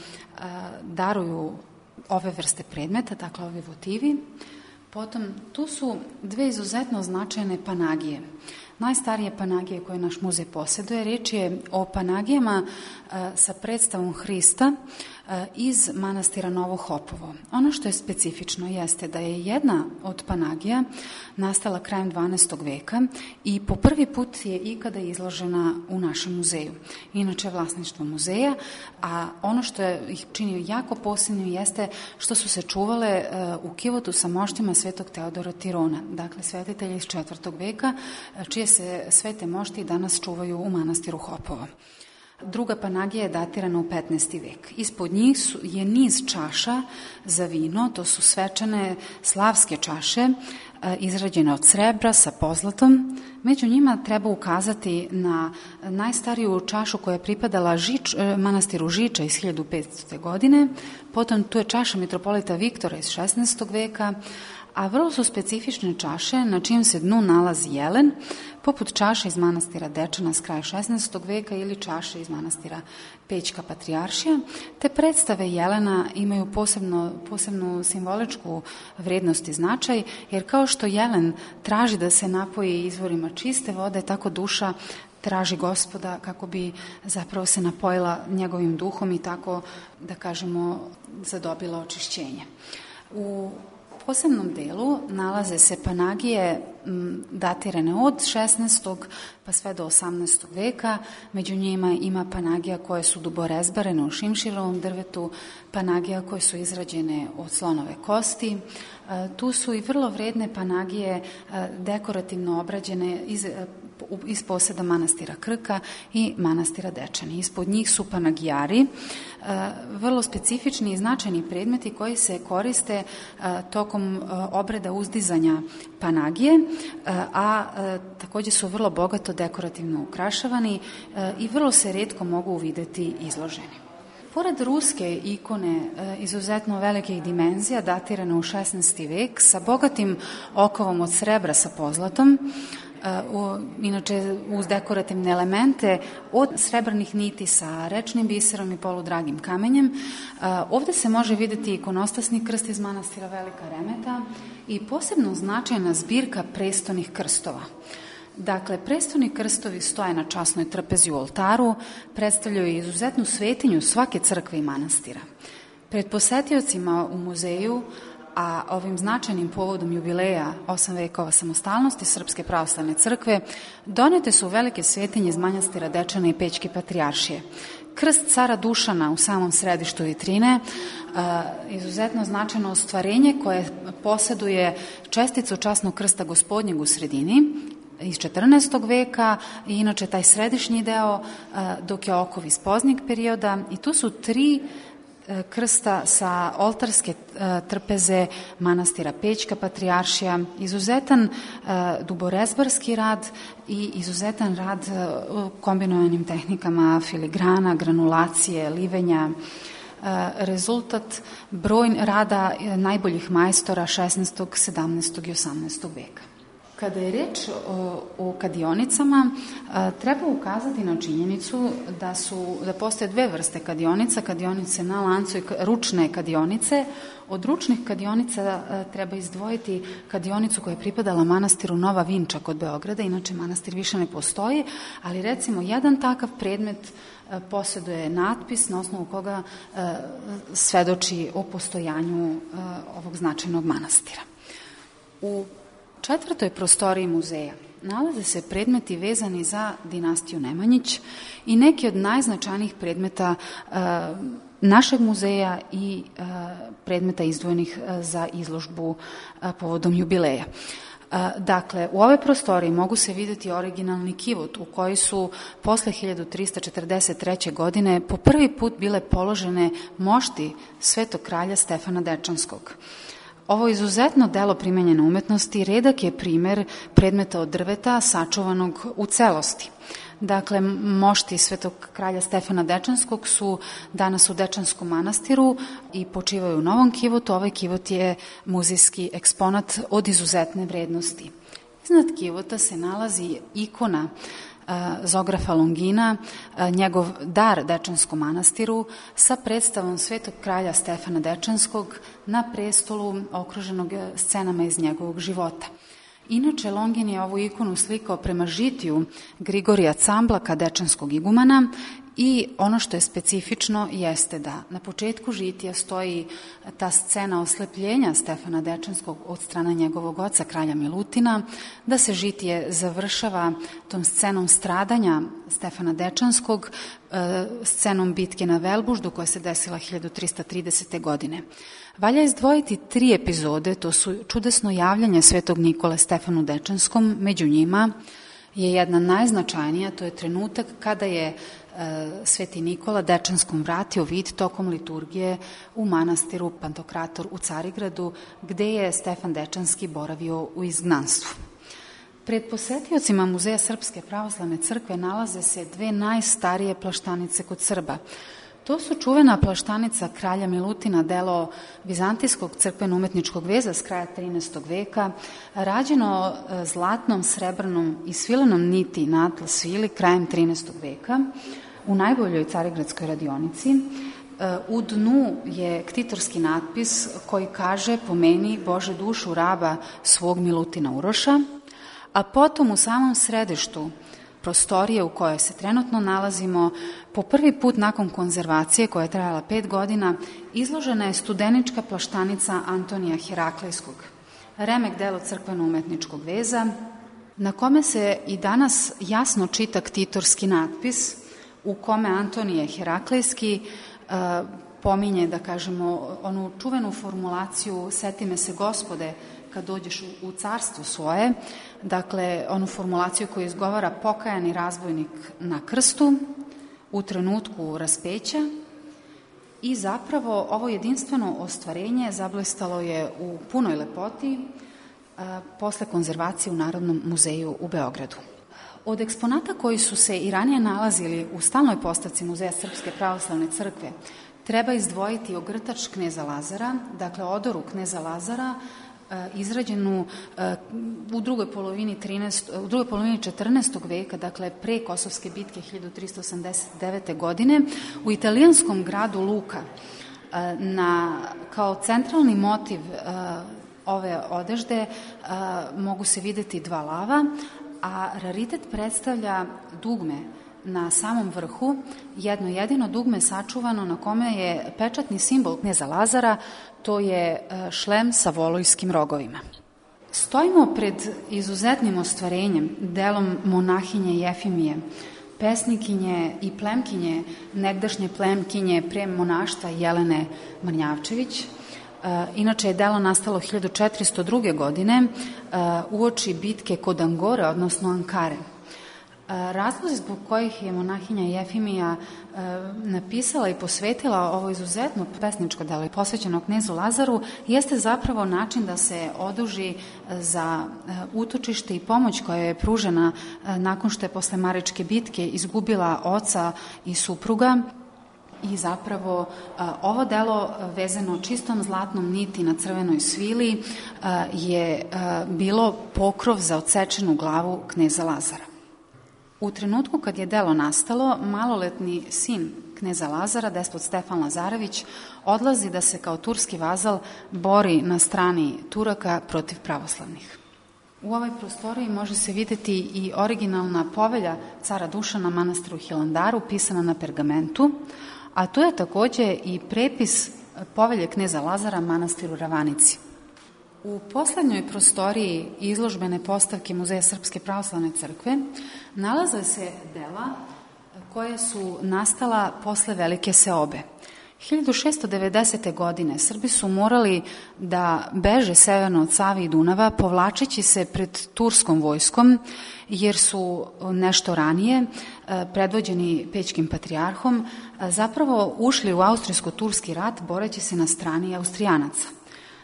daruju ove vrste predmeta, dakle ovi votivi. Potom tu su dve izuzetno značajne panagije. najstarije panagije koje naš muzej posjeduje. Riječ je o panagijama sa predstavom Hrista iz manastira Novo Hopovo. Ono što je specifično jeste da je jedna od panagija nastala krajem 12. veka i po prvi put je ikada izložena u našem muzeju. Inače, vlasništvo muzeja, a ono što ih čini jako posebnim jeste što su se čuvale u kivotu sa moštima svetog Teodora Tirona, dakle svetitelja iz 4. veka, čije se svete mošti danas čuvaju u manastiru Hopovo. Druga panagija je datirana u 15. vek. Ispod njih je niz čaša za vino, to su svečane slavske čaše, izrađene od srebra sa pozlatom. Među njima treba ukazati na najstariju čašu koja je pripadala manastiru Žiča iz 1500. godine, potom tu je čaša mitropolita Viktora iz 16. veka, a vrlo su specifične čaše na čijem se dnu nalazi jelen, poput čaše iz manastira Dečana s kraja 16. veka ili čaše iz manastira Pećka Patrijaršija. Te predstave jelena imaju posebnu simboličku vrednost i značaj, jer kao što jelen traži da se napoji izvorima čiste vode, tako duša traži Gospoda kako bi zapravo se napojila njegovim duhom i tako, da kažemo, zadobila očišćenje. U posebnom delu nalaze se panagije datirane od 16. pa sve do 18. veka. Među njima ima panagija koje su duborezbarene u šimširovom drvetu, panagija koje su izrađene od slonove kosti. Tu su i vrlo vredne panagije dekorativno obrađene iz poseda manastira Krka i manastira Dečani. Ispod njih su panagijari, vrlo specifični i značajni predmeti koji se koriste tokom obreda uzdizanja panagije, a također su vrlo bogato dekorativno ukrašavani i vrlo se retko mogu uvideti izloženi. Pored ruske ikone izuzetno velikih dimenzija, datirane u 16. vek, sa bogatim okovom od srebra sa pozlatom, inače uz dekorativne elemente od srebrnih niti sa rečnim biserom i poludragim kamenjem. Ovdje se može vidjeti ikonostasni krst iz manastira Velika Remeta i posebno značajna zbirka prestonih krstova. Dakle, prestoni krstovi stoje na časnoj trpezi u oltaru, predstavljaju izuzetnu svetinju svake crkve i manastira. Pred posetiocima u muzeju, a ovim značajnim povodom jubileja 8 vekova samostalnosti Srpske pravoslavne crkve, donete su velike svetinje iz manastira Dečana i Pećke Patrijaršije. Krst cara Dušana u samom središtu vitrine, izuzetno značajno ostvarenje koje posjeduje česticu časnog krsta Gospodnjeg u sredini iz 14. veka i inače taj središnji deo, dok je okov iz poznijeg perioda, i tu su 3 krsta sa oltarske trpeze manastira Pećka Patrijaršija, izuzetan duborezbarski rad i izuzetan rad kombinovanim tehnikama filigrana, granulacije, livenja, rezultat rada najboljih majstora 16., 17. i 18. veka. Kada je reč o kadionicama, treba ukazati na činjenicu da postoje 2 vrste kadionica, kadionice na lancu i ručne kadionice. Od ručnih kadionica treba izdvojiti kadionicu koja je pripadala manastiru Nova Vinča kod Beograda, inače manastir više ne postoji, ali recimo jedan takav predmet posjeduje natpis na osnovu koga svedoči o postojanju ovog značajnog manastira. U 4. prostoriji muzeja nalaze se predmeti vezani za dinastiju Nemanjić i neki od najznačajnijih predmeta našeg muzeja i predmeta izdvojenih za izložbu povodom jubileja. Dakle, u ovoj prostoriji mogu se vidjeti originalni kivot u koji su posle 1343. godine po prvi put bile položene mošti svetog kralja Stefana Dečanskog. Ovo izuzetno delo primenjene umetnosti redak je primer predmeta od drveta sačuvanog u celosti. Dakle, mošti svetog kralja Stefana Dečanskog su danas u Dečanskom manastiru i počivaju u novom kivotu. Ovaj kivot je muzejski eksponat od izuzetne vrednosti. Iznad kivota se nalazi ikona Zografa Longina, njegov dar Dečanskom manastiru sa predstavom svetog kralja Stefana Dečanskog na prestolu okruženog scenama iz njegovog života. Inače, Longin je ovu ikonu slikao prema žitiju Grigorija Camblaka, dečanskog igumana, i ono što je specifično jeste da na početku žitija stoji ta scena oslepljenja Stefana Dečanskog od strane njegovog oca, kralja Milutina, da se žitije završava tom scenom stradanja Stefana Dečanskog, scenom bitke na Velbuždu koja se desila 1330. godine. Valja izdvojiti 3 epizode, to su čudesno javljanje Svetog Nikole Stefanu Dečanskom, među njima je jedna najznačajnija, to je trenutak kada je Sveti Nikola Dečanskom vratio vid tokom liturgije u manastiru Pantokrator u Carigradu, gde je Stefan Dečanski boravio u izgnanstvu. Pred posetiocima Muzeja Srpske pravoslavne crkve nalaze se 2 najstarije plaštanice kod Srba. To su čuvena plaštanica kralja Milutina, delo vizantijskog crkveno-umetničkog veza s kraja 13. veka, rađeno zlatnom, srebrnom i svilenom niti na atlas svili krajem 13. veka u najboljoj carigradskoj radionici. U dnu je ktitorski natpis koji kaže: pomeni Bože dušu raba svog Milutina Uroša, a potom u samom središtu prostorije u kojoj se trenutno nalazimo, po prvi put nakon konzervacije koja je trajala 5 godina, izložena je studenička plaštanica Antonija Heraklejskog, remek delo crkveno-umetničkog veza, na kome se i danas jasno čita ktitorski natpis u kome Antonije Heraklejski pominje, da kažemo, onu čuvenu formulaciju "Seti me se, Gospode, kad dođeš u carstvo svoje", dakle, onu formulaciju koju izgovara pokajani razbojnik na krstu u trenutku raspeća. I zapravo ovo jedinstveno ostvarenje zablistalo je u punoj lepoti posle konzervacije u Narodnom muzeju u Beogradu. Od eksponata koji su se i ranije nalazili u stalnoj postavci Muzeja Srpske pravoslavne crkve treba izdvojiti ogrtač kneza Lazara, dakle odoru kneza Lazara, izrađenu u drugoj polovini 14. veka, dakle pre Kosovske bitke 1389. godine, u italijanskom gradu Luka. Kao centralni motiv ove odežde mogu se videti 2 lava, a raritet predstavlja dugme na samom vrhu, jedno jedino dugme sačuvano na kome je pečatni simbol kneza Lazara, to je šlem sa volojskim rogovima. Stojimo pred izuzetnim ostvarenjem, delom monahinje Jefimije, pesnikinje i plemkinje, negdašnje plemkinje pre monaštva Jelene Mrnjavčević. Inače je delo nastalo 1402. godine uoči bitke kod Angore, odnosno Ankare. Razlozi zbog kojih je monahinja Jefimija napisala i posvetila ovo izuzetno pesničko delo posvećeno knezu Lazaru jeste zapravo način da se oduži za utočište i pomoć koja je pružena nakon što je posle Maričke bitke izgubila oca i supruga. I zapravo ovo delo vezano čistom zlatnom niti na crvenoj svili je bilo pokrov za odsečenu glavu kneza Lazara. U trenutku kad je delo nastalo, maloletni sin kneza Lazara, despot Stefan Lazarević, odlazi da se kao turski vazal bori na strani Turaka protiv pravoslavnih. U ovoj prostoriji može se videti i originalna povelja cara Dušana manastiru Hilandaru, pisana na pergamentu, a tu je takođe i prepis povelje kneza Lazara manastiru Ravanici. U poslednjoj prostoriji izložbene postavke Muzeja Srpske pravoslavne crkve nalaze se dela koje su nastala posle Velike seobe. 1690. godine Srbi su morali da beže severno od Save i Dunava, povlačeći se pred turskom vojskom, jer su nešto ranije, predvođeni Pećkim patrijarhom, zapravo ušli u austrijsko-turski rat boreći se na strani Austrijanaca.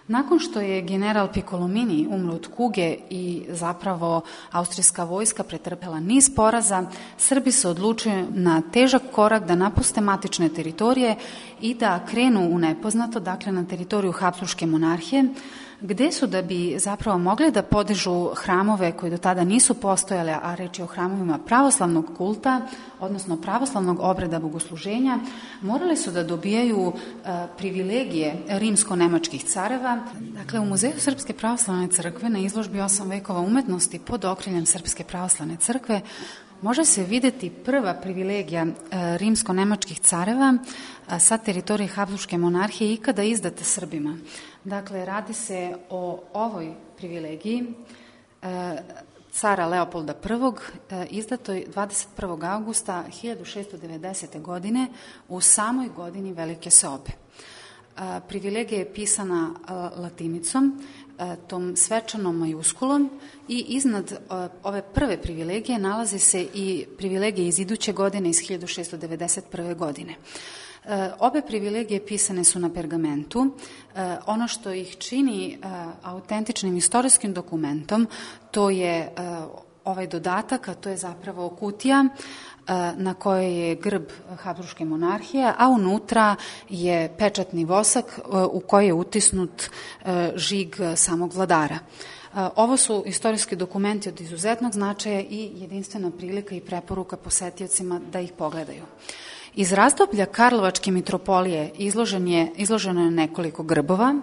Nakon što je general Piccolomini umro od kuge i zapravo austrijska vojska pretrpela niz poraza, Srbi se odlučuju na težak korak da napuste matične teritorije i da krenu u nepoznato, dakle na teritoriju Habsburške monarhije, gde su da bi zapravo mogli da podižu hramove koji do tada nisu postojale, a reč je o hramovima pravoslavnog kulta, odnosno pravoslavnog obreda bogosluženja, morali su da dobijaju privilegije rimsko-nemačkih careva. Dakle, u Muzeju Srpske pravoslavne crkve na izložbi 8 vekova umetnosti pod okriljem Srpske pravoslavne crkve može se videti prva privilegija rimsko-nemačkih careva sa teritorije Habsburške monarhije ikada izdata Srbima. Dakle, radi se o ovoj privilegiji cara Leopolda I, izdatoj 21. augusta 1690. godine u samoj godini Velike Seobe. Privilegija je pisana latinicom, tom svečanom majuskulom, i iznad ove prve privilegije nalazi se i privilegije iz iduće godine, iz 1691. godine. Obe privilegije pisane su na pergamentu. Ono što ih čini autentičnim istorijskim dokumentom, to je ovaj dodatak, a to je zapravo kutija na kojoj je grb Habsburške monarhije, a unutra je pečatni vosak u koji je utisnut žig samog vladara. Ovo su istorijski dokumenti od izuzetnog značaja i jedinstvena prilika i preporuka posetiocima da ih pogledaju. Iz razdoblja Karlovačke mitropolije izloženo je nekoliko grbova,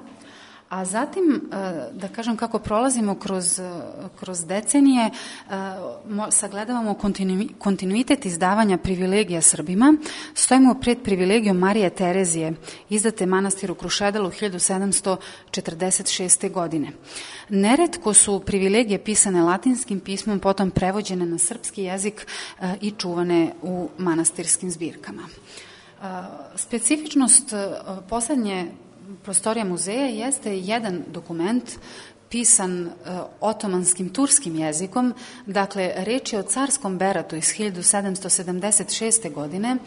a zatim, da kažem kako prolazimo kroz decenije, sagledavamo kontinuitet izdavanja privilegija Srbima. Stojimo pred privilegijom Marije Terezije, izdate manastiru Krušedelu 1746. godine. Neretko su privilegije pisane latinskim pismom, potom prevođene na srpski jezik i čuvane u manastirskim zbirkama. Specifičnost poslednje prostorija muzeja jeste jedan dokument pisan otomanskim turskim jezikom. Dakle, reč je o carskom beratu iz 1776. godine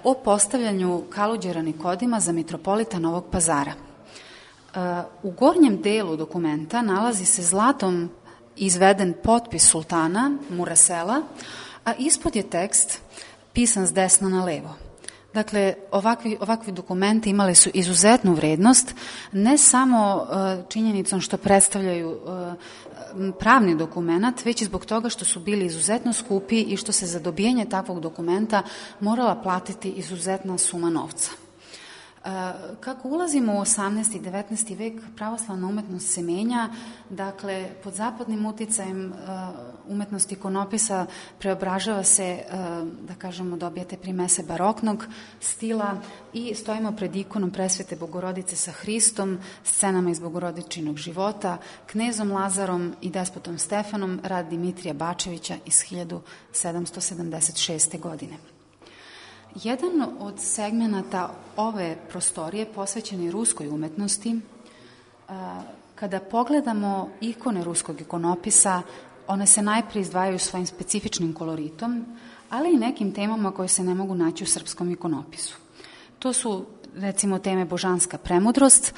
o postavljanju Kaluđera Nikodima za mitropolita Novog Pazara. U gornjem delu dokumenta nalazi se zlatom izveden potpis sultana Murasela, a ispod je tekst pisan s desna na levo. Dakle, ovakvi dokumenti imali su izuzetnu vrednost, ne samo činjenicom što predstavljaju pravni dokument, već i zbog toga što su bili izuzetno skupi i što se za dobijanje takvog dokumenta morala platiti izuzetna suma novca. Kako ulazimo u 18. i 19. vek, pravoslavna umetnost se menja, dakle, pod zapadnim uticajem umetnost ikonopisa preobražava se, da kažemo, dobijate primese baroknog stila i stojimo pred ikonom Presvete Bogorodice sa Hristom, scenama iz Bogorodičinog života, knezom Lazarom i despotom Stefanom, rad Dimitrija Bačevića iz 1776. godine. Jedan od segmenata ove prostorije posvećen je ruskoj umetnosti. Kada pogledamo ikone ruskog ikonopisa, one se najprije izdvajaju svojim specifičnim koloritom, ali i nekim temama koje se ne mogu naći u srpskom ikonopisu. To su, recimo, teme božanska premudrost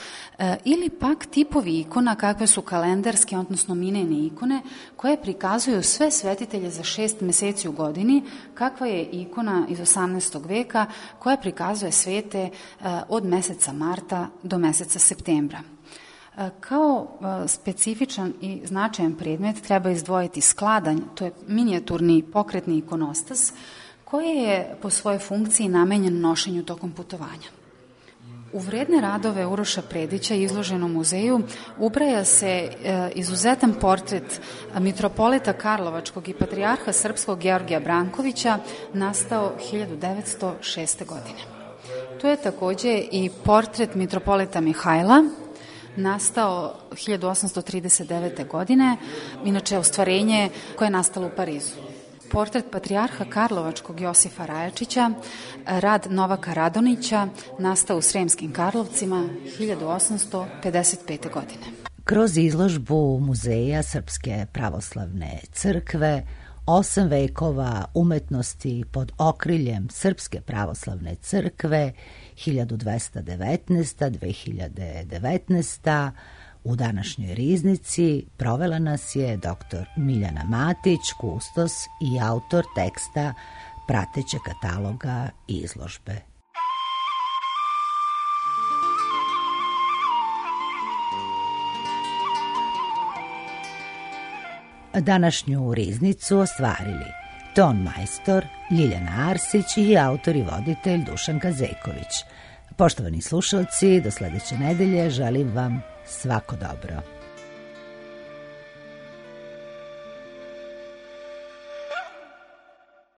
ili pak tipovi ikona kakve su kalendarske, odnosno minejne ikone, koje prikazuju sve svetitelje za 6 meseci u godini, kakva je ikona iz 18. veka koja prikazuje svete od meseca marta do meseca septembra. Kao specifičan i značajan predmet treba izdvojiti skladanj, to je minijaturni pokretni ikonostas, koji je po svojoj funkciji namenjen nošenju tokom putovanja. U vredne radove Uroša Predića izloženom muzeju ubraja se izuzetan portret mitropolita Karlovačkog i patrijarha srpskog Georgija Brankovića, nastao 1906. godine. To je takođe i portret mitropolita Mihajla, nastao 1839. godine, inače ostvarenje koje je nastalo u Parizu. Portret patrijarha Karlovačkog Josifa Rajačića, rad Novaka Radonića, nastao u Sremskim Karlovcima 1855. godine.
Kroz izložbu Muzeja Srpske pravoslavne crkve 8 vekova umetnosti pod okriljem Srpske pravoslavne crkve 1219-2019. U današnjoj riznici provela nas je dr. Miljana Matić, kustos i autor teksta pratećeg kataloga izložbe. današnju riznicu ostvarili ton majstor Ljiljana Arsić i autor i voditelj Dušan Kazeković. Poštovani slušalci, do sledeće nedelje želim vam svako dobro.